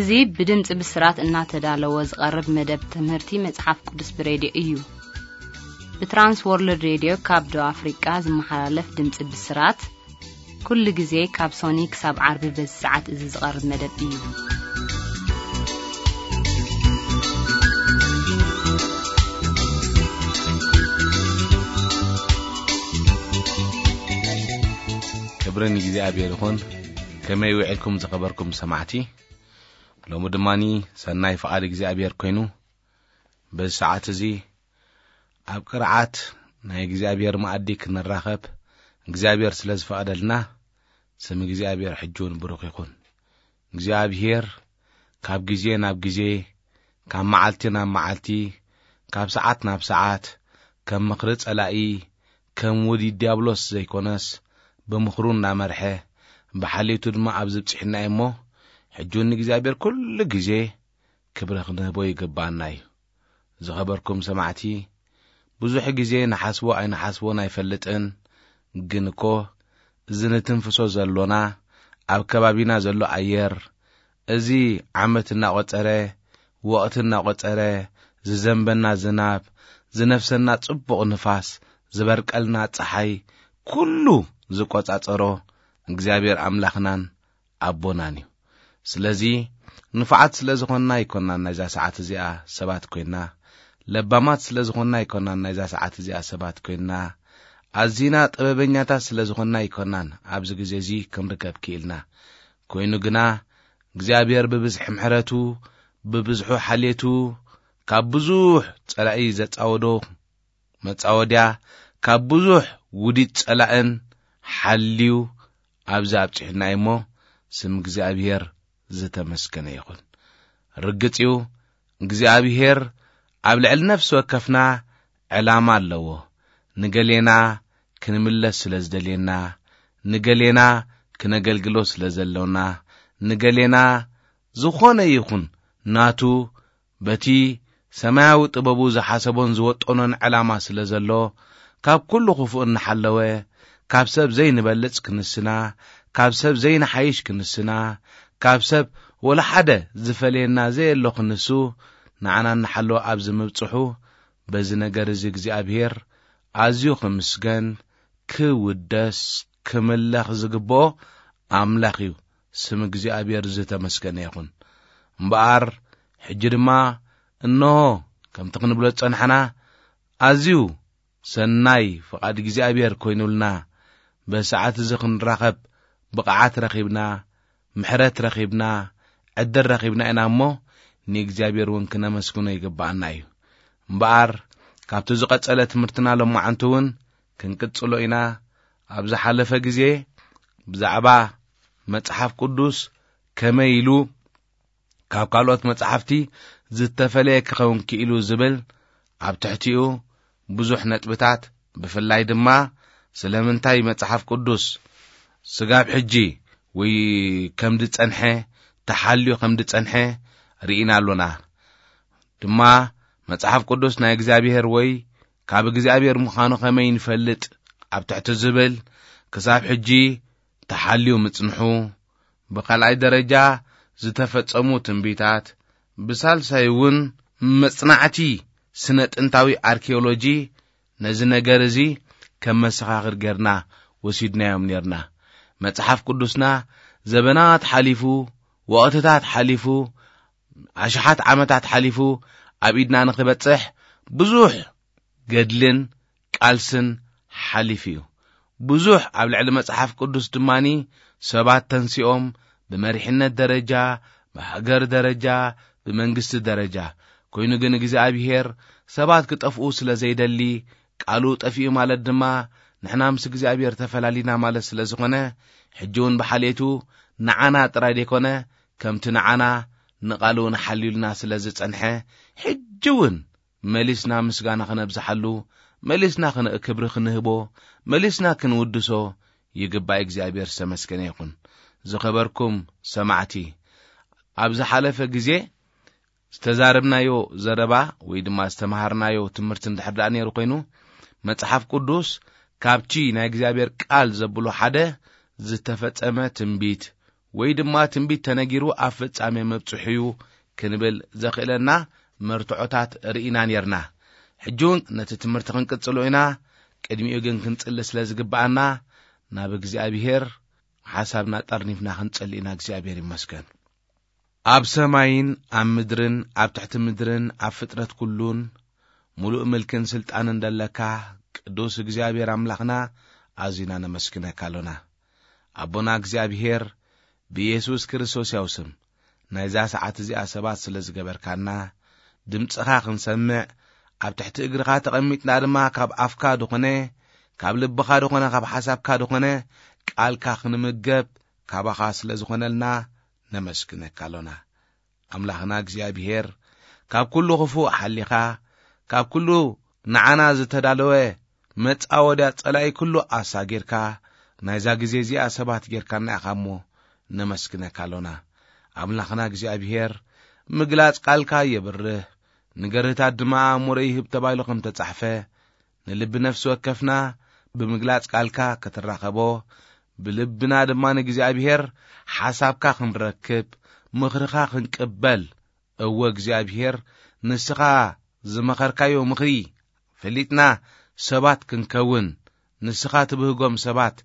እዚ ብድምፂ ብስራት እናተዳለወ ዝቐርብ መደብ ትምህርቲ መጽሓፍ ቅዱስ ብሬድዮ እዩ። ብትራንስ ወርልድ ሬድዮ ካብ ደቡብ ኣፍሪቃ ዝመሓላለፍ ድምፂ ብስራት፣ ኩሉ ግዜ ካብ ሶኒ ክሳብ ዓርቢ በዚ ሰዓት እዚ ዝቐርብ መደብ እዩ። ክብሪ ንእግዚኣብሔር ይኹን። ከመይ ውዒልኩም ዝኸበርኩም ሰማዕቲ? ሎሚ ድማኒ ሰናይ ፍቓድ እግዚኣብሔር ኮይኑ፣ በዚ ሰዓት እዚ ኣብ ቅርዓት ናይ እግዚኣብሔር መኣዲ ክንራኸብ እግዚኣብሔር ስለ ዝፈቐደልና፣ ስም እግዚኣብሔር ሕጂ እውን ብሩኽ ይኹን። እግዚኣብሔር ካብ ግዜ ናብ ግዜ፣ ካብ መዓልቲ ናብ መዓልቲ፣ ካብ ሰዓት ናብ ሰዓት፣ ከም ምኽሪ ጸላኢ፣ ከም ውዲት ዲያብሎስ ዘይኮነስ፣ ብምኽሩ እናመርሐ፣ ብሓልዮቱ ድማ ኣብዚ ብጽሕና እዩ እሞ፣ ሕጂ እውን ንእግዚኣብሔር ኩሉ ግዜ ክብሪ ክንህቦ ይግባኣና እዩ። ዝኸበርኩም ሰማዕቲ፣ ብዙሕ ግዜ ንሓስቦ ኣይንሓስቦን ኣይፈልጥን፣ ግን እኮ እዚ ንትንፍሶ ዘሎና፣ ኣብ ከባቢና ዘሎ ኣየር፣ እዚ ዓመት እናቖጸረ፣ ወቕቲ እናቖጸረ፣ ዝዘንበና ዝናብ፣ ዝነፍሰና ጽቡቕ ንፋስ፣ ዝበርቀልና ጸሓይ፣ ኩሉ ዝቆጻጸሮ እግዚኣብሔር ኣምላኽናን ኣቦናን እዩ። ስለዚ ንፉዓት ስለ ዝኾንና ኣይኮናን ናይዛ ሰዓት እዚኣ ሰባት ኮይንና፣ ለባማት ስለ ዝኾንና ኣይኮናን ናይዛ ሰዓት እዚኣ ሰባት ኮይንና፣ ኣዚና ጥበበኛታት ስለ ዝኾንና ኣይኮናን ኣብዚ ግዜ እዚ ክንርከብ ክኢልና። ኮይኑ ግና እግዚኣብሔር ብብዝሒ ምሕረቱ፣ ብብዝሑ ሓልየቱ፣ ካብ ብዙሕ ጸላኢ ዘጻወዶ መጻወድያ፣ ካብ ብዙሕ ውዲት ጸላእን ሓልዩ ኣብዚ ኣብጽሑና እዩ እሞ፣ ስም እግዚኣብሔር ዝተመስገነ ይኹን። ርግጽ እዩ፣ እግዚኣብሔር ኣብ ልዕሊ ነፍሲ ወከፍና ዕላማ ኣለዎ። ንገሌና ክንምለስ ስለ ዝደልየና፣ ንገሌና ክነገልግሎ ስለ ዘሎና፣ ንገሌና ዝኾነ ይኹን ናቱ በቲ ሰማያዊ ጥበቡ ዝሓሰቦን ዝወጠኖን ዕላማ ስለ ዘሎ፣ ካብ ኩሉ ክፉእ እናሓለወ፣ ካብ ሰብ ዘይንበልጽ ክንስና፣ ካብ ሰብ ዘይንሓይሽ ክንስና፣ ካብ ሰብ ወላ ሓደ ዝፈልየና ዘየሎ ክንሱ፣ ንዓና እናሓለወ ኣብዚ ምብጽሑ፣ በዚ ነገር እዚ እግዚኣብሔር ኣዝዩ ክምስገን፣ ክውደስ፣ ክምለኽ ዝግብኦ ኣምላኽ እዩ። ስም እግዚኣብሔር ዝተመስገነ ይኹን። እምበኣር ሕጂ ድማ እንሆ ከምቲ ክንብሎ ዝጸናሕና ኣዝዩ ሰናይ ፍቓድ እግዚኣብሔር ኮይኑልና በሰዓት እዚ ክንራኸብ ብቕዓት ረኺብና፣ ምሕረት ረኺብና፣ ዕድል ረኺብና ኢና እሞ ንእግዚኣብሔር እውን ክነመስግኖ ይግብኣና እዩ። እምበኣር ካብቲ ዝቐጸለ ትምህርትና ሎማዓንቲ እውን ክንቅጽሎ ኢና። ኣብ ዝሓለፈ ግዜ ብዛዕባ መጽሓፍ ቅዱስ ከመይ ኢሉ ካብ ካልኦት መጻሕፍቲ ዝተፈለየ ክኸውን ክኢሉ ዝብል ኣብ ትሕቲኡ ብዙሕ ነጥብታት፣ ብፍላይ ድማ ስለምንታይ መጽሓፍ ቅዱስ ስጋብ ሕጂ ወይ ከም ዝጸንሐ፣ ተሓልዩ ከም ዝጸንሐ ርኢና ኣሎና። ድማ መጽሓፍ ቅዱስ ናይ እግዚኣብሔር ወይ ካብ እግዚኣብሔር ምዃኑ ከመይ ንፈልጥ ኣብ ትሕቲ ዝብል ክሳብ ሕጂ ተሓልዩ ምጽንሑ፣ ብኻልኣይ ደረጃ ዝተፈጸሙ ትንቢታት፣ ብሳልሳይ እውን መጽናዕቲ ስነ ጥንታዊ ኣርኪኦሎጂ ነዚ ነገር እዚ ከም መሰኻኽር ጌርና ወሲድናዮም ኔርና። መጽሓፍ ቅዱስና ዘበናት ሓሊፉ፣ ወቕትታት ሓሊፉ፣ ኣሽሓት ዓመታት ሓሊፉ ኣብ ኢድና ንኽበጽሕ ብዙሕ ገድልን ቃልስን ሓሊፉ እዩ። ብዙሕ ኣብ ልዕሊ መጽሓፍ ቅዱስ ድማኒ ሰባት ተንሲኦም ብመሪሕነት ደረጃ፣ ብሃገር ደረጃ፣ ብመንግስቲ ደረጃ። ኮይኑ ግን እግዚኣብሔር ሰባት ክጠፍኡ ስለ ዘይደሊ፣ ቃሉ ጠፊኡ ማለት ድማ ንሕና ምስ እግዚኣብሔር ተፈላሊና ማለት ስለ ዝኾነ፣ ሕጂ እውን ብሓልየቱ ንዓና ጥራይ ዘይኮነ፣ ከምቲ ንዓና ንቓሉ እውን ሓልዩልና ስለ ዝጸንሐ፣ ሕጂ እውን መሊስና ምስጋና ክነብዝሓሉ፣ መሊስና ክን-፣ ክብሪ ክንህቦ፣ መሊስና ክንውድሶ ይግባእ። እግዚኣብሔር ዝተመስገነ ይኹን። ዝኸበርኩም ሰማዕቲ፣ ኣብ ዝሓለፈ ግዜ ዝተዛረብናዮ ዘረባ ወይ ድማ ዝተምሃርናዮ ትምህርቲ እንድሕር ደኣ ነይሩ ኮይኑ፣ መጽሓፍ ቅዱስ ካብቲ ናይ እግዚኣብሔር ቃል ዘብሎ ሓደ ዝተፈጸመ ትንቢት ወይ ድማ ትንቢት ተነጊሩ ኣብ ፍጻሜ መብጽሑ እዩ ክንብል ዘኽእለና መርትዖታት ርኢና ኔርና። ሕጂ እውን ነቲ ትምህርቲ ክንቅጽሎ ኢና። ቅድሚኡ ግን ክንጽሊ ስለ ዝግብኣና ናብ እግዚኣብሔር ሓሳብና ጠርኒፍና ክንጸሊ ኢና። እግዚኣብሔር ይመስገን። ኣብ ሰማይን ኣብ ምድርን ኣብ ትሕቲ ምድርን ኣብ ፍጥረት ኩሉን ምሉእ ምልክን ስልጣንን ደለካ ቅዱስ እግዚኣብሔር ኣምላኽና ኣዚና ነመስግነካ ኣሎና። ኣቦና እግዚኣብሔር ብኢየሱስ ክርስቶስ ያው ስም ናይዛ ሰዓት እዚኣ ሰባት ስለ ዝገበርካና ድምጽኻ ክንሰምዕ ኣብ ትሕቲ እግርኻ ተቐሚጥና ድማ ካብ ኣፍካ ድኾነ ካብ ልብኻ ድኾነ ካብ ሓሳብካ ድኾነ ቃልካ ክንምገብ ካባኻ ስለ ዝኾነልና ነመስግነካ ኣሎና። ኣምላኽና እግዚኣብሔር ካብ ኩሉ ክፉእ ሓሊኻ ካብ ኩሉ ንዓና ዝተዳለወ መጻወድያ ጸላኢ ኩሉ ኣሳጊርካ ናይዛ ግዜ እዚኣ ሰባት ጌርካና ኢኻ እሞ ነመስግነካ ኣሎና። ኣምላኽና እግዚኣብሔር ምግላጽ ቃልካ የብርህ ንገርህታት ድማ ኣእምሮ ይህብ ተባሂሉ ከም ተጻሕፈ ንልቢ ነፍሲ ወከፍና ብምግላጽ ቃልካ ክትራኸቦ ብልብና ድማ ንእግዚኣብሔር ሓሳብካ ክንረክብ ምኽርኻ ክንቅበል እወ እግዚኣብሔር ንስኻ ዝመኸርካዮ ምኽሪ ፈሊጥና ሰባት ክንከውን ንስኻ ትብህጎም ሰባት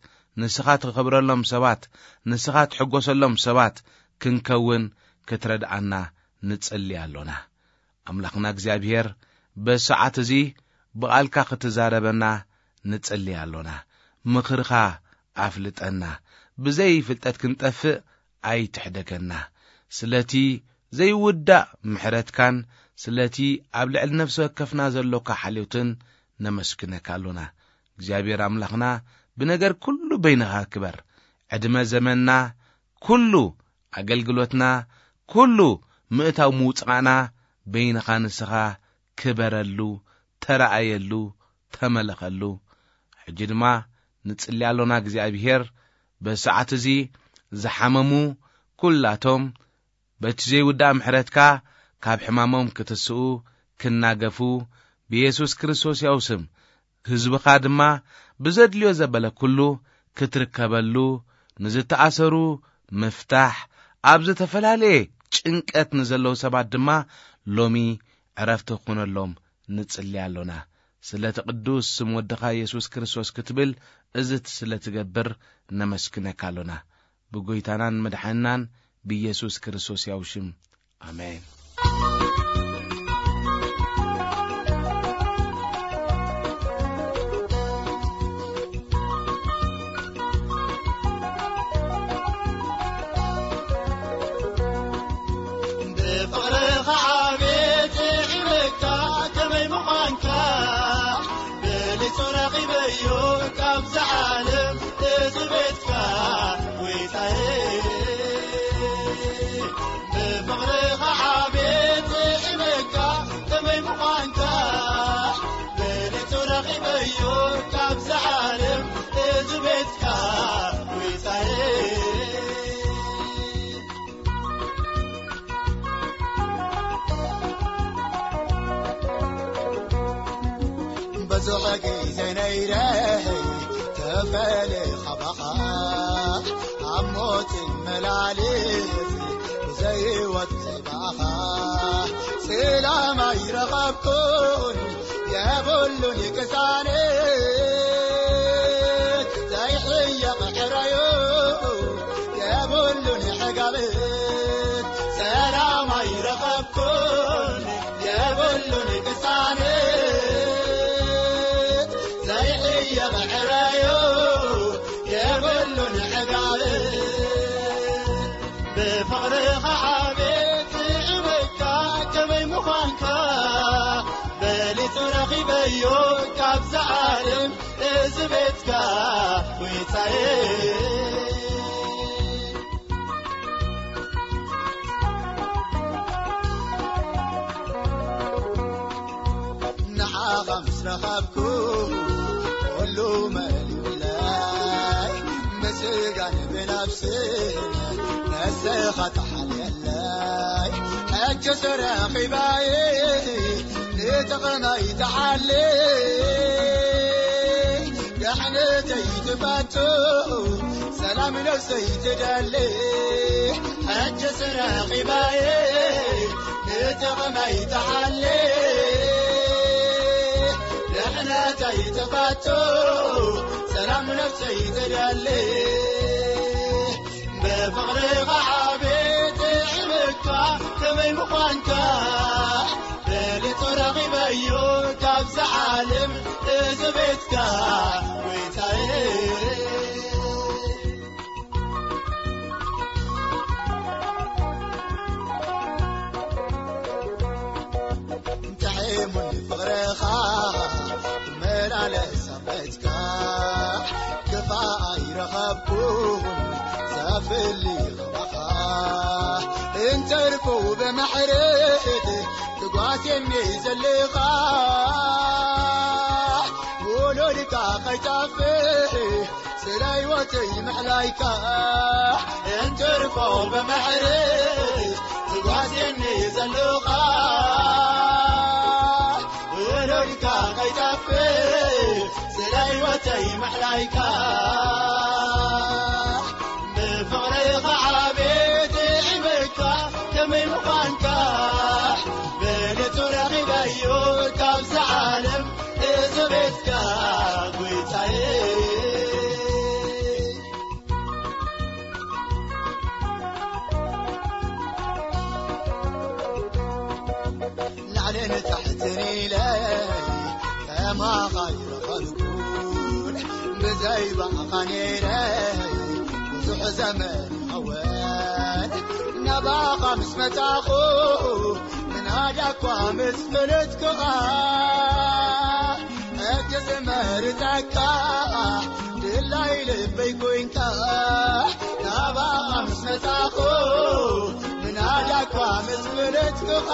ንስኻ ትኸብረሎም ሰባት ንስኻ ትሕጎሰሎም ሰባት ክንከውን ክትረድኣና ንጽሊ ኣሎና። ኣምላኽና እግዚኣብሔር በዚ ሰዓት እዚ ብቓልካ ክትዛረበና ንጽሊ ኣሎና። ምኽርኻ ኣፍልጠና። ብዘይ ፍልጠት ክንጠፍእ ኣይትሕደገና። ስለቲ ዘይውዳእ ምሕረትካን ስለቲ ኣብ ልዕሊ ነፍሲ ወከፍና ዘሎካ ሓልዮትን ነመስግነካ ኣሎና። እግዚኣብሔር ኣምላኽና ብነገር ኩሉ በይንኻ ክበር። ዕድመ ዘመንና ኩሉ ኣገልግሎትና ኩሉ ምእታው ምውጻእና በይንኻ ንስኻ ክበረሉ ተረኣየሉ ተመለኸሉ። ሕጂ ድማ ንጽሊ ኣሎና እግዚኣብሔር በዚ ሰዓት እዚ ዝሓመሙ ኩላቶም በቲ ዘይውዳእ ምሕረትካ ካብ ሕማሞም ክትስኡ ክናገፉ ብየሱስ ክርስቶስ ያው ስም ህዝብኻ ድማ ብዘድልዮ ዘበለ ኩሉ ክትርከበሉ ንዝተኣሰሩ ምፍታሕ ኣብ ዝተፈላለየ ጭንቀት ንዘለዉ ሰባት ድማ ሎሚ ዕረፍቲ ክኾነሎም ንጽሊ ኣሎና። ስለቲ ቅዱስ ስም ወድኻ የሱስ ክርስቶስ ክትብል እዚ ስለ ትገብር ነመስግነካ ኣሎና። ብጎይታናን መድሓንናን ብየሱስ ክርስቶስ ያው ሽም ኣሜን። ብፍቕርኻ ዓቤት ይዕበካ ከመይ ምዃንካ በሊጹ ረኺበዮ ካብዛ ዓለም እዚ ቤትካ ጎይታየ። ብፍቕርኻ ዓቤት ይዕበካ ከመይ ምዃንካ በሊጹ ረኺበዮ ካብዛ ዓለም እዚ ቤትካ ጎይታየ። ብዙሕ ግዜ ነይረ ተፈለ ካባኻ ኣብ ሞት መላልስ ብዘይወት ባኻ ሰላም ኣይረኸብኩን የብሉን ቅሳነት ዘይሕየቕ ሕራዮ የብሉን ሕጋብት ሰላም ኣይረኸብኩን የብሉን ቅሳነት ዘይሕየቕ ሕራዮ የብሉን ሕጋብት ብፍቕርኻ ዓቤት ይዕበካ ከመይ ምዃንካ በሊጹ ረኺበዮ ካብዛ ዓለም እዚ ቤትካ ጎይታየ። ንዓኻ ምስ ረኸብኩ ኩሉ መሊኡለይ ምስጋን ብነፍስን ነስኻ ተሓልየለይ ሕጂ ስረኺባየ ንጥቕመይ ተሓልይ ደሕነተይ ትፈቱ ሰላም ነፍሰይ ትደሊ፣ ሕጂ ስረኺባየ፣ ንጥቕመይ ትሓሊ። ድሕነተይ ትፈቱ፣ ሰላም ነፍሰይ ትደሊ። ብፍቕርኻ ዓቢ ጥዕምካ ከመይ ምዃንካ፣ በሊጹ ረኺበዮ ካብዛ ዓለም እዚ ቤትካ፣ ጎይታየ። ጥዒሙኒ ፍቕርኻ፣ መላለስ ኣመትካ፣ ክፋእ ኣይረኸብኩን ዘፍሊ ኸማኻ። እንተርፎ ብማሕረት ትጓስየኒ ዘለኻ፣ ውሉድካ ከይጠፍእ ስለ ህይወተይ ምሕላይካ። እንተርፎ ብማሕረት ትጓስየኒ ዘለኻ፣ ውሉድካ ከይጠፍእ ስለ ህይወተይ ምሕላይካ። ብፍቕርኻ ዓቢ ጥዕምካ ከመይ ምዃንካ፣ በሊጹ ረኺበዮ ካብዛ ዓለም እዚ ቤትካ፣ ጎይታየ። ላዕልን ታሕትን ኢለ ከማኻ ኣይረኸብኩን፣ ብዘይ ባዕኻ ነይረ ብዙሕ ዘመን ይኸውን። ናባኻ ምስ መጻኹ፣ ምናዳ እኳ ምስ ፈለጥኩኻ፣ ሕጂ ዝመርጸካ ድላይ ልበይ ኮንካ። ናባኻ ምስ መጻኹ፣ ምናዳ እኳ ምስ ፈለጥኩኻ፣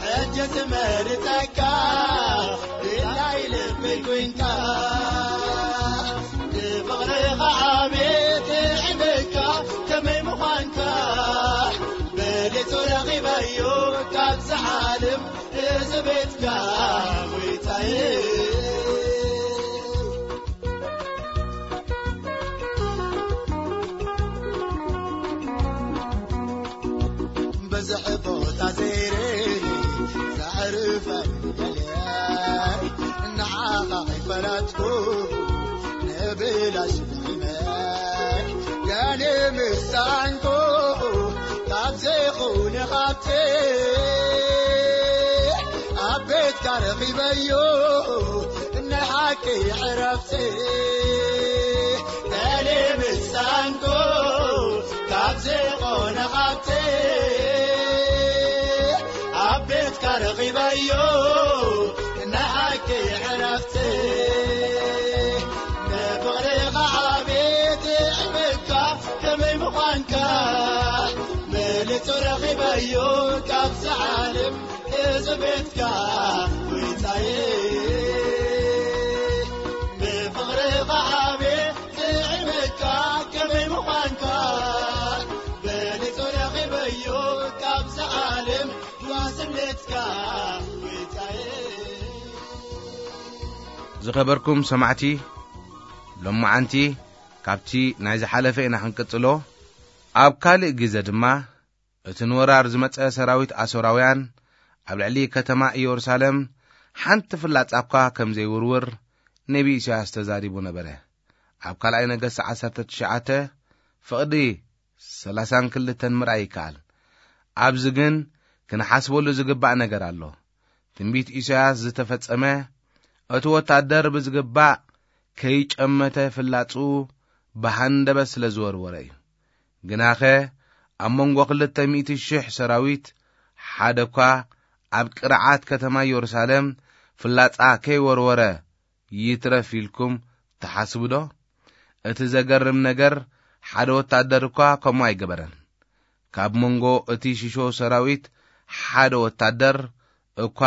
ሕጂ ዝመርጸካ ድላይ ልበይ ኮንካ። ንፍቕርኻ ዓቢ ጥዕምካ ከመይ ምዃንካ፣ በሊጹ ረኺበዮ ካብዛ ዓለም እዚ ቤትካ፣ ጎይታየ። ብዙሕ ቦታ ዘይረ ዘዕርፈኒ ደልየ፣ ንዓኻ ኣይፈለጥኩ ንብላሽ ንዕመ። ገለ ምሳንኮ ካብ ዘይኹነ ሃብቲ፣ ኣብ ቤትካ ረኺበዮ ናይ ሓቂ ዕረፍቲ። ገለ ምሳንኮ ካብ ዘይኾነ ሃብቲ፣ ኣብ ቤትካ ረኺበዮ ናይ ሓቂ ዕረፍቲ። ንፍቕርኻ ዓቢ ጥዕምካ ከመይ ምዃንካ፣ በሊጹ ረኺበዮ ካብዛ ዓለም እዚ ቤትካ፣ ጎይታየ። ብፍቕርኻ ዓቢ ጥዕምካ ከመይ ምዃንካ፣ በሊጹ ረኺበዮ ካብዛ ዓለም ዋስነትካ፣ ጎይታየ። ዝኸበርኩም ሰማዕቲ፣ ሎማዓንቲ ካብቲ ናይ ዝሓለፈ ኢና ክንቅጽሎ። ኣብ ካልእ ግዜ ድማ እቲ ንወራር ዝመጸ ሰራዊት ኣሶራውያን ኣብ ልዕሊ ከተማ ኢየሩሳሌም ሓንቲ ፍላጻ እኳ ከም ዘይውርውር ነቢ ኢሳያስ ተዛሪቡ ነበረ። ኣብ ካልኣይ ነገስት ዓሰርተ ትሽዓተ ፍቕዲ ሰላሳን ክልተን ምርኣይ ይከኣል። ኣብዚ ግን ክንሓስበሉ ዝግባእ ነገር ኣሎ። ትንቢት ኢሳያስ ዝተፈጸመ፣ እቲ ወታደር ብዝግባእ ከይጨመተ ፍላጹ ብሃንደበት ስለ ዝወርወረ እዩ። ግናኸ ኣብ መንጎ ክልተ ሚእቲ ሽሕ ሰራዊት ሓደ እኳ ኣብ ቅርዓት ከተማ ኢየሩሳሌም ፍላጻ ከይወርወረ ይትረፍ ኢልኩም ትሓስቡ ዶ? እቲ ዘገርም ነገር፣ ሓደ ወታደር እኳ ከምኡ ኣይገበረን። ካብ መንጎ እቲ ሽሾ ሰራዊት ሓደ ወታደር እኳ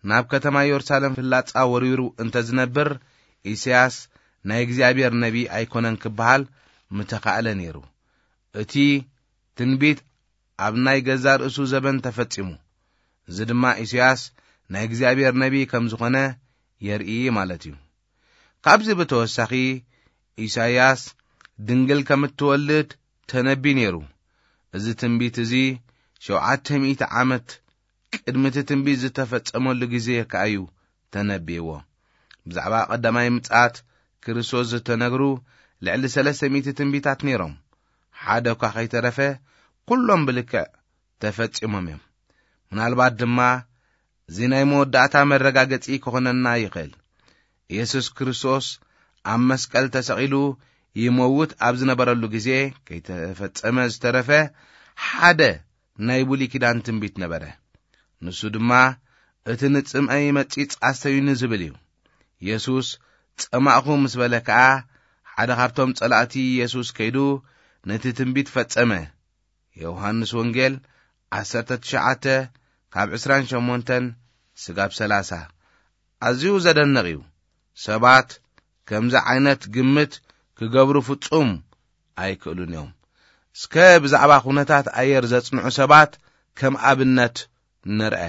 ናብ ከተማ ኢየሩሳሌም ፍላጻ ወሪሩ እንተ ዝነብር፣ ኢሳያስ ናይ እግዚኣብሔር ነቢ ኣይኮነን ክበሃል ምተኻእለ ነይሩ። እቲ ትንቢት ኣብ ናይ ገዛ ርእሱ ዘበን ተፈጺሙ። እዚ ድማ ኢሳያስ ናይ እግዚኣብሔር ነቢ ከም ዝኾነ የርኢ ማለት እዩ። ካብዚ ብተወሳኺ፣ ኢሳይያስ ድንግል ከም እትወልድ ተነብዩ ነይሩ። እዚ ትንቢት እዚ ሸውዓተ ሚእቲ ዓመት ቅድሚ እቲ ትንቢት ዝተፈጸመሉ ግዜ ከኣ እዩ ተነብይዎ። ብዛዕባ ቀዳማይ ምጽኣት ክርስቶስ ዝተነግሩ ልዕሊ ሰለስተ ሚእቲ ትንቢታት ነይሮም። ሓደ እኳ ከይተረፈ ኩሎም ብልክዕ ተፈጺሞም እዮም። ምናልባት ድማ እዚ ናይ መወዳእታ መረጋገጺ ክኾነና ይኽእል። ኢየሱስ ክርስቶስ ኣብ መስቀል ተሰቒሉ ይመውት ኣብ ዝነበረሉ ግዜ ከይተፈጸመ ዝተረፈ ሓደ ናይ ብሉይ ኪዳን ትንቢት ነበረ። ንሱ ድማ እቲ ንጽምኢ መጺጽ ኣስተዩኒ ዝብል እዩ። ኢየሱስ ጸማእኹ ምስ በለ ከኣ ሓደ ካብቶም ጸላእቲ ኢየሱስ ከይዱ ነቲ ትንቢት ፈጸመ። ዮሃንስ ወንጌል ዓሰርተ ትሽዓተ ካብ ዕስራን ሸሞንተን ስጋብ ሰላሳ። ኣዝዩ ዘደንቕ እዩ። ሰባት ከምዚ ዓይነት ግምት ክገብሩ ፍጹም ኣይክእሉን እዮም። እስከ ብዛዕባ ኩነታት ኣየር ዘጽንዑ ሰባት ከም ኣብነት ንርአ።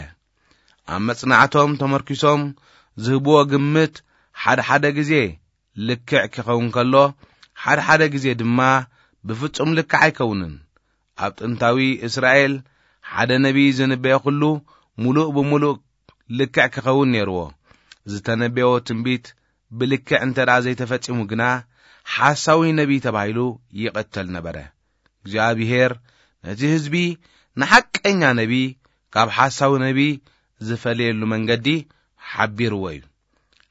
ኣብ መጽናዕቶም ተመርኪሶም ዝህብዎ ግምት ሓደ ሓደ ግዜ ልክዕ ክኸውን ከሎ፣ ሓደ ሓደ ግዜ ድማ ብፍጹም ልክዕ ኣይከውንን። ኣብ ጥንታዊ እስራኤል ሓደ ነቢይ ዝንበዮ ኩሉ ምሉእ ብምሉእ ልክዕ ክኸውን ነይርዎ። ዝተነበዮ ትንቢት ብልክዕ እንተ ደኣ ዘይተፈጺሙ ግና፣ ሓሳዊ ነቢይ ተባሂሉ ይቕተል ነበረ። እግዚኣብሔር ነቲ ህዝቢ ንሓቀኛ ነቢይ ካብ ሓሳዊ ነቢይ ዝፈለየሉ መንገዲ ሓቢርዎ እዩ።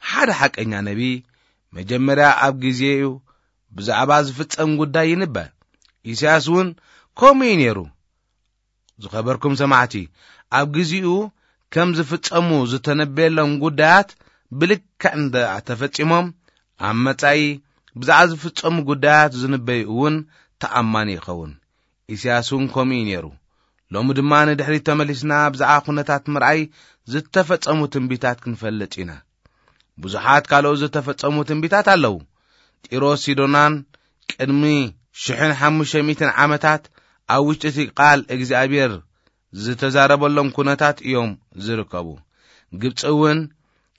ሓደ ሓቀኛ ነቢይ መጀመርያ ኣብ ግዜኡ ብዛዕባ ዝፍጸም ጉዳይ ይንበ። ኢሳያስ እውን ከምኡ እዩ ነይሩ። ዝኸበርኩም ሰማዕቲ፣ ኣብ ግዜኡ ከም ዝፍጸሙ ዝተነበየሎም ጉዳያት ብልክዕ እንተ ተፈጺሞም፣ ኣብ መጻኢ ብዛዕባ ዝፍጸሙ ጉዳያት ዝንበዩ እውን ተኣማኒ ይኸውን። ኢሳያስ እውን ከምኡ እዩ ነይሩ። ሎሚ ድማ ንድሕሪት ተመሊስና ብዛዕባ ኩነታት ምርኣይ ዝተፈጸሙ ትንቢታት ክንፈልጥ ኢና። ብዙሓት ካልኦት ዝተፈጸሙ ትንቢታት ኣለዉ። ጢሮስ ሲዶናን ቅድሚ ሽሕን ሓሙሽተ ሚእትን ዓመታት ኣብ ውሽጢ እቲ ቃል እግዚኣብሔር ዝተዛረበሎም ኩነታት እዮም ዝርከቡ። ግብጺ እውን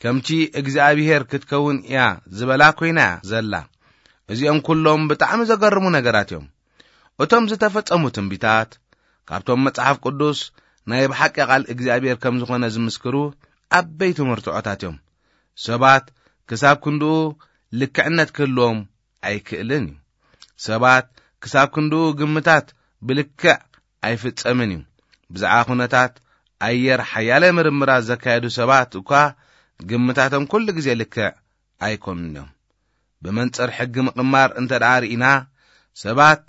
ከምቲ እግዚኣብሔር ክትከውን እያ ዝበላ ኮይና እያ ዘላ። እዚኦም ኩሎም ብጣዕሚ ዘገርሙ ነገራት እዮም። እቶም ዝተፈጸሙ ትንቢታት ካብቶም መጽሓፍ ቅዱስ ናይ ብሓቂ ቃል እግዚኣብሔር ከም ዝኾነ ዝምስክሩ ዓበይቲ መርትዖታት እዮም። ሰባት ክሳብ ክንድኡ ልክዕነት ክህልዎም ኣይክእልን እዩ። ሰባት ክሳብ ክንድኡ ግምታት ብልክዕ ኣይፍጸምን እዩ። ብዛዕባ ኩነታት ኣየር ሓያለ ምርምራት ዘካየዱ ሰባት እኳ ግምታቶም ኩሉ ግዜ ልክዕ ኣይኮኑን እዮም። ብመንጽር ሕጊ ምቕማር እንተ ደኣ ርኢና፣ ሰባት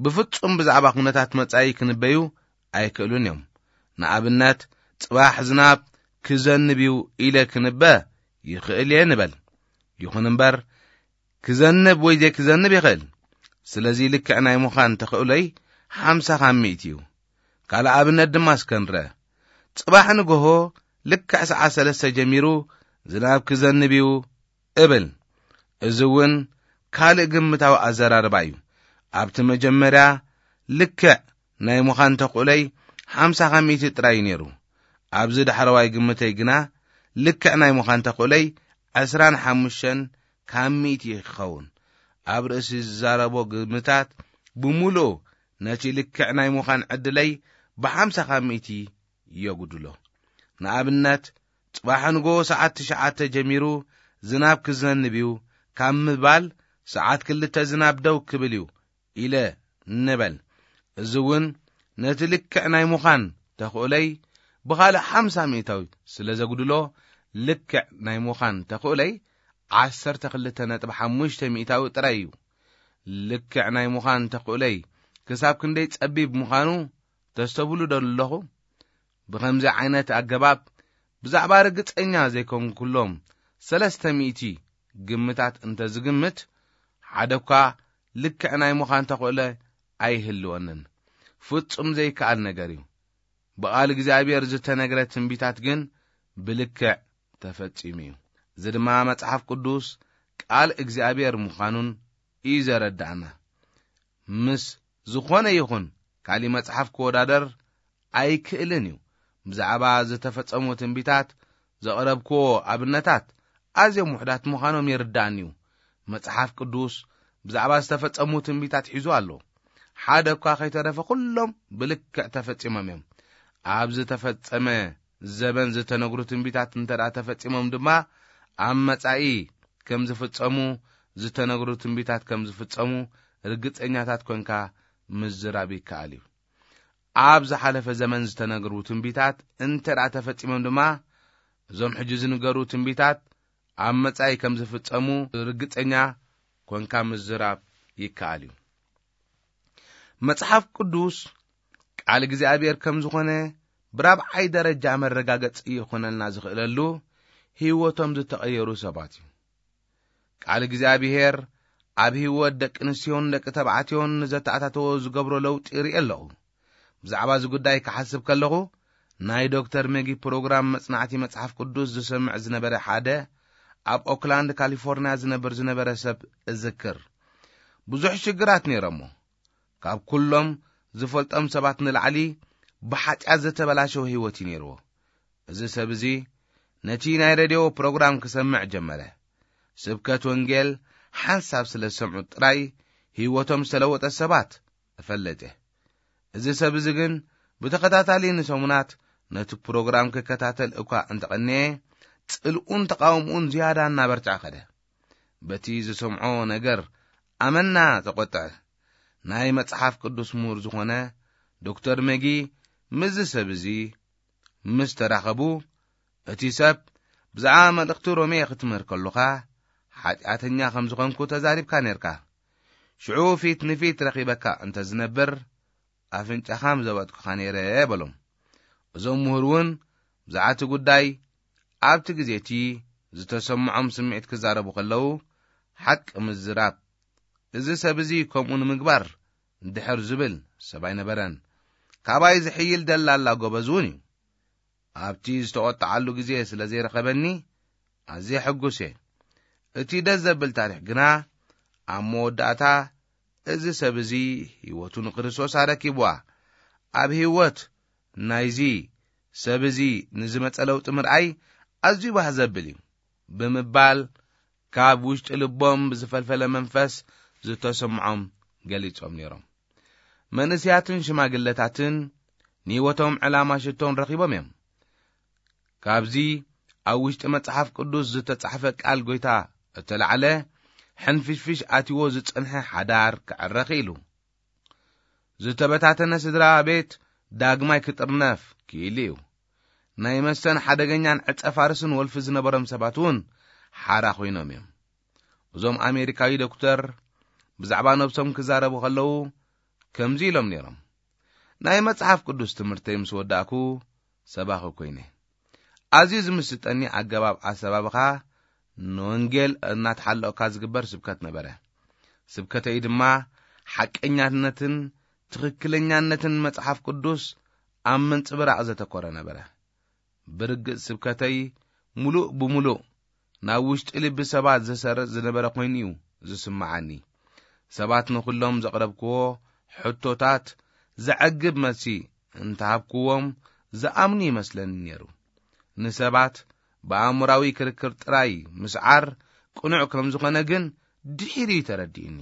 ብፍጹም ብዛዕባ ኩነታት መጻኢ ክንበዩ ኣይክእሉን እዮም። ንኣብነት፣ ጽባሕ ዝናብ ክዘንብ እዩ ኢለ ክንበ ይኽእል እየ ንበል። ይኹን እምበር፣ ክዘንብ ወይ ዘይክዘንብ ይኽእል። ስለዚ ልክዕ ናይ ምዃን ተኽእሎይ ሓምሳ ካብ ሚእቲ እዩ። ካልእ ኣብነት ድማ እስከ ንርአ። ጽባሕ ንግሆ ልክዕ ሰዓት ሰለስተ ጀሚሩ ዝናብ ክዘንብ እዩ እብል። እዚ እውን ካልእ ግምታዊ ኣዘራርባ እዩ። ኣብቲ መጀመርያ ልክዕ ናይ ምዃን ተኽእሎይ ሓምሳ ካብ ሚእቲ ጥራይ እዩ ነይሩ። ኣብዚ ዳሕረዋይ ግምተይ ግና ልክዕ ናይ ምዃን ተኽእሎይ ዕስራን ሓሙሽተን ካብ ሚእቲ ይኸውን። ኣብ ርእሲ ዝዛረቦ ግምታት ብምሉኡ ነቲ ልክዕ ናይ ምዃን ዕድለይ ብሓምሳ ካብ ሚእቲ የጉድሎ። ንኣብነት፣ ጽባሕ ንጎ ሰዓት ትሽዓተ ጀሚሩ ዝናብ ክዘንብ እዩ ካብ ምባል፣ ሰዓት ክልተ ዝናብ ደው ክብል እዩ ኢለ ንበል። እዚ እውን ነቲ ልክዕ ናይ ምዃን ተኽእሎይ ብኻልእ ሓምሳ ሚእታዊት ስለ ዘጉድሎ፣ ልክዕ ናይ ምዃን ተኽእሎይ ዓሰርተ ክልተ ነጥቢ ሓሙሽተ ሚእታዊ ጥራይ እዩ። ልክዕ ናይ ምዃን ተኽእሎይ ክሳብ ክንደይ ጸቢብ ምዃኑ ተስተብሉ ዶ ኣለኹ? ብኸምዚ ዓይነት ኣገባብ ብዛዕባ ርግጸኛ ዘይኮንኩሎም ሰለስተ ሚእቲ ግምታት እንተ ዝግምት፣ ሓደ እኳ ልክዕ ናይ ምዃን ተኽእሎ ኣይህልወንን። ፍጹም ዘይከኣል ነገር እዩ። ብቓል እግዚኣብሔር ዝተነግረ ትንቢታት ግን ብልክዕ ተፈጺሙ እዩ። እዚ ድማ መጽሓፍ ቅዱስ ቃል እግዚኣብሔር ምዃኑን እዩ ዘረዳእና። ምስ ዝኾነ ይኹን ካሊእ መጽሓፍ ክወዳደር ኣይክእልን እዩ። ብዛዕባ ዝተፈጸሙ ትንቢታት ዘቕረብክዎ ኣብነታት ኣዝዮም ውሑዳት ምዃኖም ይርዳእኒ እዩ። መጽሓፍ ቅዱስ ብዛዕባ ዝተፈጸሙ ትንቢታት ሒዙ ኣሎ። ሓደ እኳ ከይተረፈ ኩሎም ብልክዕ ተፈጺሞም እዮም። ኣብ ዝተፈጸመ ዘበን ዝተነግሩ ትንቢታት እንተ ደኣ ተፈጺሞም ድማ፣ ኣብ መጻኢ ከም ዝፍጸሙ፣ ዝተነግሩ ትንቢታት ከም ዝፍጸሙ ርግጸኛታት ኮንካ ምዝራብ ይከኣል እዩ። ኣብ ዝሓለፈ ዘመን ዝተነግሩ ትንቢታት እንተ ደኣ ተፈጺሞም ድማ፣ እዞም ሕጂ ዝንገሩ ትንቢታት ኣብ መጻኢ ከም ዝፍጸሙ ርግጸኛ ኮንካ ምዝራብ ይከኣል እዩ። መጽሓፍ ቅዱስ ቃል እግዚኣብሔር ከም ዝኾነ ብራብዓይ ደረጃ መረጋገጺ ይኾነልና ዝኽእለሉ ህይወቶም ዝተቐየሩ ሰባት እዩ። ቃል እግዚኣብሔር ኣብ ህይወት ደቂ ኣንስትዮን ደቂ ተባዕትዮን ንዘተኣታተዎ ዝገብሮ ለውጢ ይርኢ ኣለኹ። ብዛዕባ እዚ ጉዳይ ክሓስብ ከለኹ፣ ናይ ዶክተር ሜጊ ፕሮግራም መጽናዕቲ መጽሓፍ ቅዱስ ዝሰምዕ ዝነበረ ሓደ ኣብ ኦክላንድ ካሊፎርንያ ዝነብር ዝነበረ ሰብ እዝክር። ብዙሕ ሽግራት ነይሮሞ። ካብ ኩሎም ዝፈልጦም ሰባት ንላዕሊ ብሓጢኣት ዝተበላሸወ ህይወት እዩ ነይርዎ። እዚ ሰብ እዚ ነቲ ናይ ሬድዮ ፕሮግራም ክሰምዕ ጀመረ። ስብከት ወንጌል ሓንሳብ ስለ ዝሰምዑ ጥራይ ህይወቶም ዝተለወጠ ሰባት እፈለጥ እየ። እዚ ሰብ እዚ ግን ብተኸታታሊ ንሰሙናት ነቲ ፕሮግራም ክከታተል እኳ እንተቐነየ፣ ጽልኡን ተቓውምኡን ዝያዳ እናበርትዐ ኸደ። በቲ ዝሰምዖ ነገር ኣመና ተቖጥዐ። ናይ መጽሓፍ ቅዱስ ምሁር ዝኾነ ዶክተር መጊ ምስዚ ሰብ እዚ ምስ ተራኸቡ፣ እቲ ሰብ ብዛዕባ መልእኽቲ ሮሜ ክትምህር ከሎኻ፣ ሓጢኣተኛ ከም ዝኾንኩ ተዛሪብካ ነርካ። ሽዑ ፊት ንፊት ረኺበካ እንተ ዝነብር፣ ኣፍንጫኻ ምዘበጥኩኻ ነይረ በሎም። እዞም ምሁር እውን ብዛዕባ እቲ ጉዳይ ኣብቲ ግዜ እቲ ዝተሰምዖም ስምዒት ክዛረቡ ከለዉ፣ ሓቂ ምዝራብ፣ እዚ ሰብ እዚ ከምኡ ንምግባር ድሕር ዝብል ሰብ ኣይነበረን። ካባይ ዝሕይል ደላላ ጎበዝ እውን እዩ። ኣብቲ ዝተቖጥዓሉ ግዜ ስለ ዘይረኸበኒ ኣዝየ ሕጉስ እየ። እቲ ደስ ዘብል ታሪኽ ግና፣ ኣብ መወዳእታ እዚ ሰብ እዚ ህይወቱ ንክርስቶስ ኣረኪብዋ። ኣብ ህይወት ናይዚ ሰብ እዚ ንዝመጸ ለውጢ ምርኣይ ኣዝዩ ባህ ዘብል እዩ ብምባል፣ ካብ ውሽጢ ልቦም ብዝፈልፈለ መንፈስ ዝተሰምዖም ገሊጾም ነይሮም። መንእስያትን ሽማግለታትን ንህይወቶም ዕላማ ሽቶን ረኺቦም እዮም። ካብዚ ኣብ ውሽጢ መጽሓፍ ቅዱስ ዝተጻሕፈ ቃል ጐይታ እተላዕለ፣ ሕንፍሽፍሽ ኣትይዎ ዝጸንሐ ሓዳር ክዕረ ኽኢሉ። ዝተበታተነ ስድራ ቤት ዳግማይ ክጥርነፍ ክኢሉ እዩ። ናይ መስተን ሓደገኛን ዕጸ ፋርስን ወልፊ ዝነበሮም ሰባት እውን ሓራ ኮይኖም እዮም። እዞም ኣሜሪካዊ ዶክተር ብዛዕባ ነብሶም ክዛረቡ ከለዉ ከምዚ ኢሎም ነይሮም፣ ናይ መጽሓፍ ቅዱስ ትምህርተይ ምስ ወዳእኩ ሰባኺ ኮይነ። ኣዝዩ ዝምስጠኒ ኣገባብ ኣሰባብኻ ንወንጌል እናተሓለቕካ ዝግበር ስብከት ነበረ። ስብከተይ ድማ ሓቀኛነትን ትኽክለኛነትን መጽሓፍ ቅዱስ ኣብ ምንጽብራቕ ዘተኮረ ነበረ። ብርግጽ ስብከተይ ምሉእ ብምሉእ ናብ ውሽጢ ልቢ ሰባት ዝሰርጽ ዝነበረ ኮይኑ እዩ ዝስምዓኒ። ሰባት ንኹሎም ዘቕረብክዎ ሕቶታት ዘዕግብ መልሲ እንተሃብክዎም ዝኣምኑ ይመስለኒ ነይሩ። ንሰባት ብኣእምራዊ ክርክር ጥራይ ምስዓር ቅኑዕ ከም ዝኾነ ግን ድሒሩ እዩ ተረዲእኒ።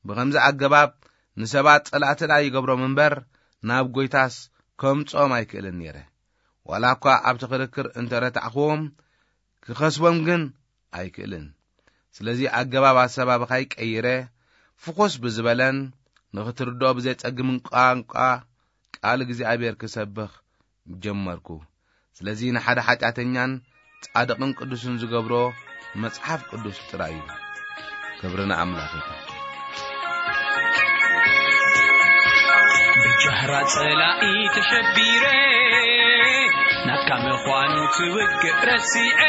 ብኸምዚ ኣገባብ ንሰባት ጸላእቲ ደኣ ይገብሮም እምበር ናብ ጐይታስ ከምጽኦም ኣይክእልን ነይረ። ዋላ እኳ ኣብቲ ክርክር እንተ ረታዕክዎም ክኸስቦም ግን ኣይክእልን። ስለዚ ኣገባብ ኣሰባብኻይ ቀይረ፣ ፍኹስ ብዝበለን ንኽትርድኦ ብዘጸግምን ቋንቋ ቃል እግዚኣብሔር ክሰብኽ ጀመርኩ። ስለዚ ንሓደ ሓጢኣተኛን ጻድቕን ቅዱስን ዝገብሮ መጽሓፍ ቅዱስ ጥራይ እዩ። ክብሪ ንኣምላኽ ይኹን። ብጃህራ ጸላኢ ተሸቢረ፣ ናትካ ምዃኑ ትውግእ ረሲዐ፣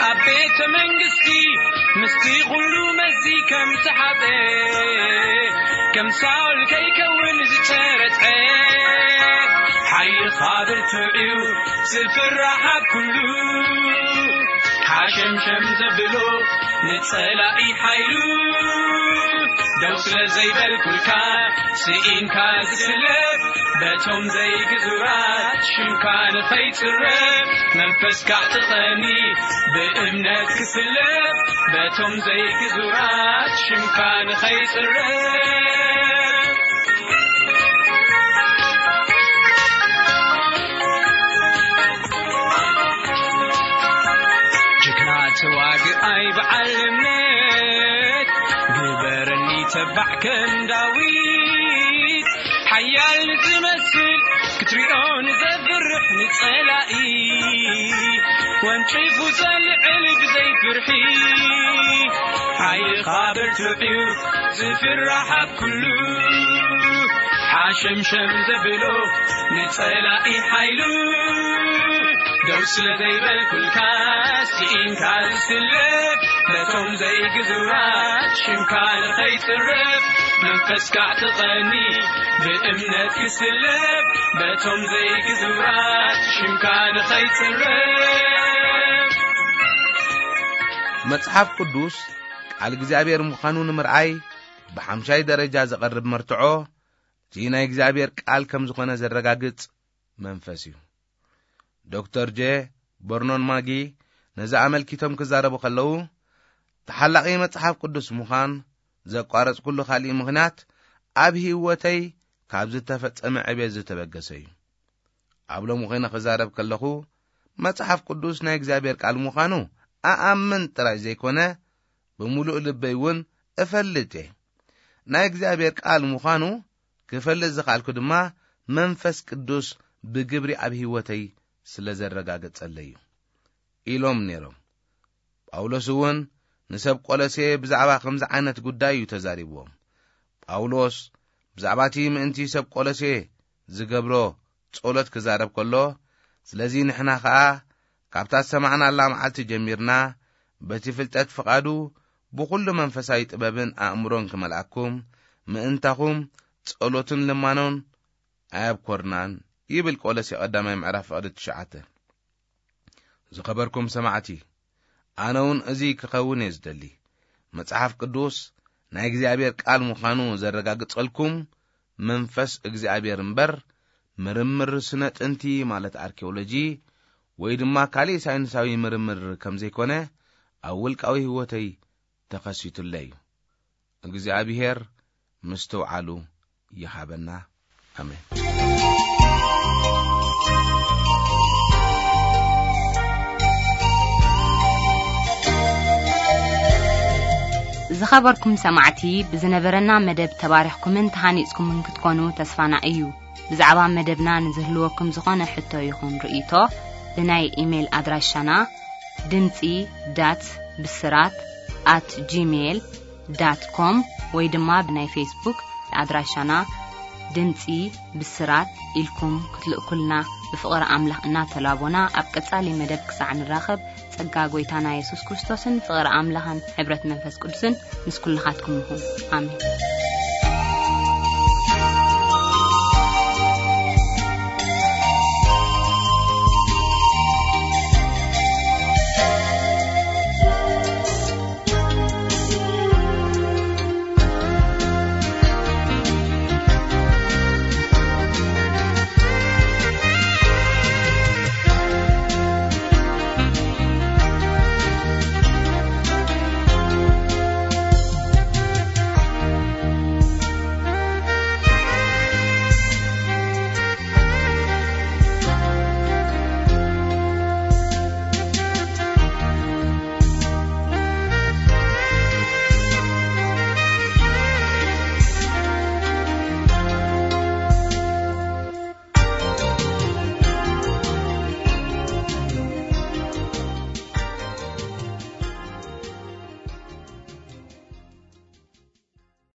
ኣብ ቤተ መንግስቲ ምስቲ ኩሉ መዚ ከም ተሓጠ፣ ከም ሳውል ከይከውን ዝተረትዐ፣ ሓይልኻ ብርቱዕ እዩ ዝፍራሕ ኣብ ኩሉ። ሓሸምሸም ዘብሎ ንጸላኢ ሓይሉ፣ ደው ስለ ዘይበልኩልካ ስኢንካ ዝስለፍ፣ በቶም ዘይግዙራት ሽምካ ንኸይጽረፍ፣ መንፈስካ ጥቐኒ ብእምነት ክስለፍ፣ በቶም ዘይግዙራት ሽምካ ንኸይጽረ ጅግና ተዋግኣይ በዓል እምነት ግበረኒ ተባዕ ከም ዳዊት ሓያል ንዝመስል ክትሪኦ ንዘፍርሕ ንጸላኢ ወንጭፉ ዘልዕል ብዘይ ፍርሒ ሓይልኻ ብርቱዕ እዩ ዝፍራሕ ኣብ ኩሉ ሓሸምሸም ዘብሎ ንጸላኢ ሓይሉ ደው ስለ ዘይበልኩልካ ስኢንካ ዝስለፍ ነቶም ዘይግዙራት ሽምካ ንኸይጽረፍ መንፈስካ ትቐኒ ብእምነት ክስለፍ በቶም ዘይግዙራት ሽምካ ንኸይጽረፍ መጽሓፍ ቅዱስ ቃል እግዚኣብሔር ምዃኑ ንምርኣይ ብሓምሻይ ደረጃ ዘቐርብ መርትዖ እቲ ናይ እግዚኣብሔር ቃል ከም ዝኾነ ዘረጋግጽ መንፈስ እዩ። ዶክተር ጄ በርኖን ማጊ ነዚ ኣመልኪቶም ክዛረቡ ከለዉ ተሓላቒ መጽሓፍ ቅዱስ ምዃን ዘቋረጽኩሉ ካልእ ምኽንያት ኣብ ህይወተይ ካብ ዝተፈጸመ ዕቤት ዝተበገሰ እዩ። ኣብ ሎም ኮይነ ክዛረብ ከለኹ መጽሓፍ ቅዱስ ናይ እግዚኣብሔር ቃል ምዃኑ ኣኣምን ጥራይ ዘይኮነ ብምሉእ ልበይ እውን እፈልጥ እየ። ናይ እግዚኣብሔር ቃል ምዃኑ ክፈልጥ ዝኸኣልኩ ድማ መንፈስ ቅዱስ ብግብሪ ኣብ ህይወተይ ስለ ዘረጋገጸለይ እዩ። ኢሎም ነይሮም። ጳውሎስ እውን ንሰብ ቆሎሴ ብዛዕባ ከምዚ ዓይነት ጉዳይ እዩ ተዛሪብዎም። ጳውሎስ ብዛዕባ እቲ ምእንቲ ሰብ ቆሎሴ ዝገብሮ ጸሎት ክዛረብ ከሎ፣ ስለዚ ንሕና ኸኣ ካብታ ዝሰማዕናላ መዓልቲ ጀሚርና በቲ ፍልጠት ፍቓዱ ብኹሉ መንፈሳዊ ጥበብን ኣእምሮን ክመልኣኩም ምእንታኹም ጸሎትን ልማኖን ኣየብኮርናን ይብል። ቆሎሴ ቀዳማይ ምዕራፍ ፍቕዲ ትሽዓተ። ዝኸበርኩም ሰማዕቲ፣ ኣነ እውን እዚ ክኸውን እየ ዝደሊ። መጽሓፍ ቅዱስ ናይ እግዚኣብሔር ቃል ምዃኑ ዘረጋግጸልኩም መንፈስ እግዚኣብሔር እምበር ምርምር ስነ ጥንቲ ማለት ኣርኪኦሎጂ ወይ ድማ ካልእ ሳይንሳዊ ምርምር ከም ዘይኮነ ኣብ ውልቃዊ ህይወተይ ተኸሲቱለይ እዩ። እግዚኣብሔር ምስትውዓሉ ይሃበና። ኣሜን። ዝኸበርኩም ሰማዕቲ፣ ብዝነበረና መደብ ተባሪኽኩምን ተሃኒጽኩምን ክትኮኑ ተስፋና እዩ። ብዛዕባ መደብና ንዝህልወኩም ዝኾነ ሕቶ ይኹን ርእይቶ ብናይ ኢሜይል ኣድራሻና ድምጺ ዳት ብስራት ኣት ጂሜይል ዳት ኮም ወይ ድማ ብናይ ፌስቡክ ኣድራሻና ድምጺ ብስራት ኢልኩም ክትልእኩልና ብፍቕሪ ኣምላኽ እናተላቦና ኣብ ቀጻሊ መደብ ክሳዕ ንራኸብ ጸጋ ጎይታና የሱስ ክርስቶስን ፍቕሪ ኣምላኽን ሕብረት መንፈስ ቅዱስን ምስ ኩልኻትኩም ይኹን። ኣሜን።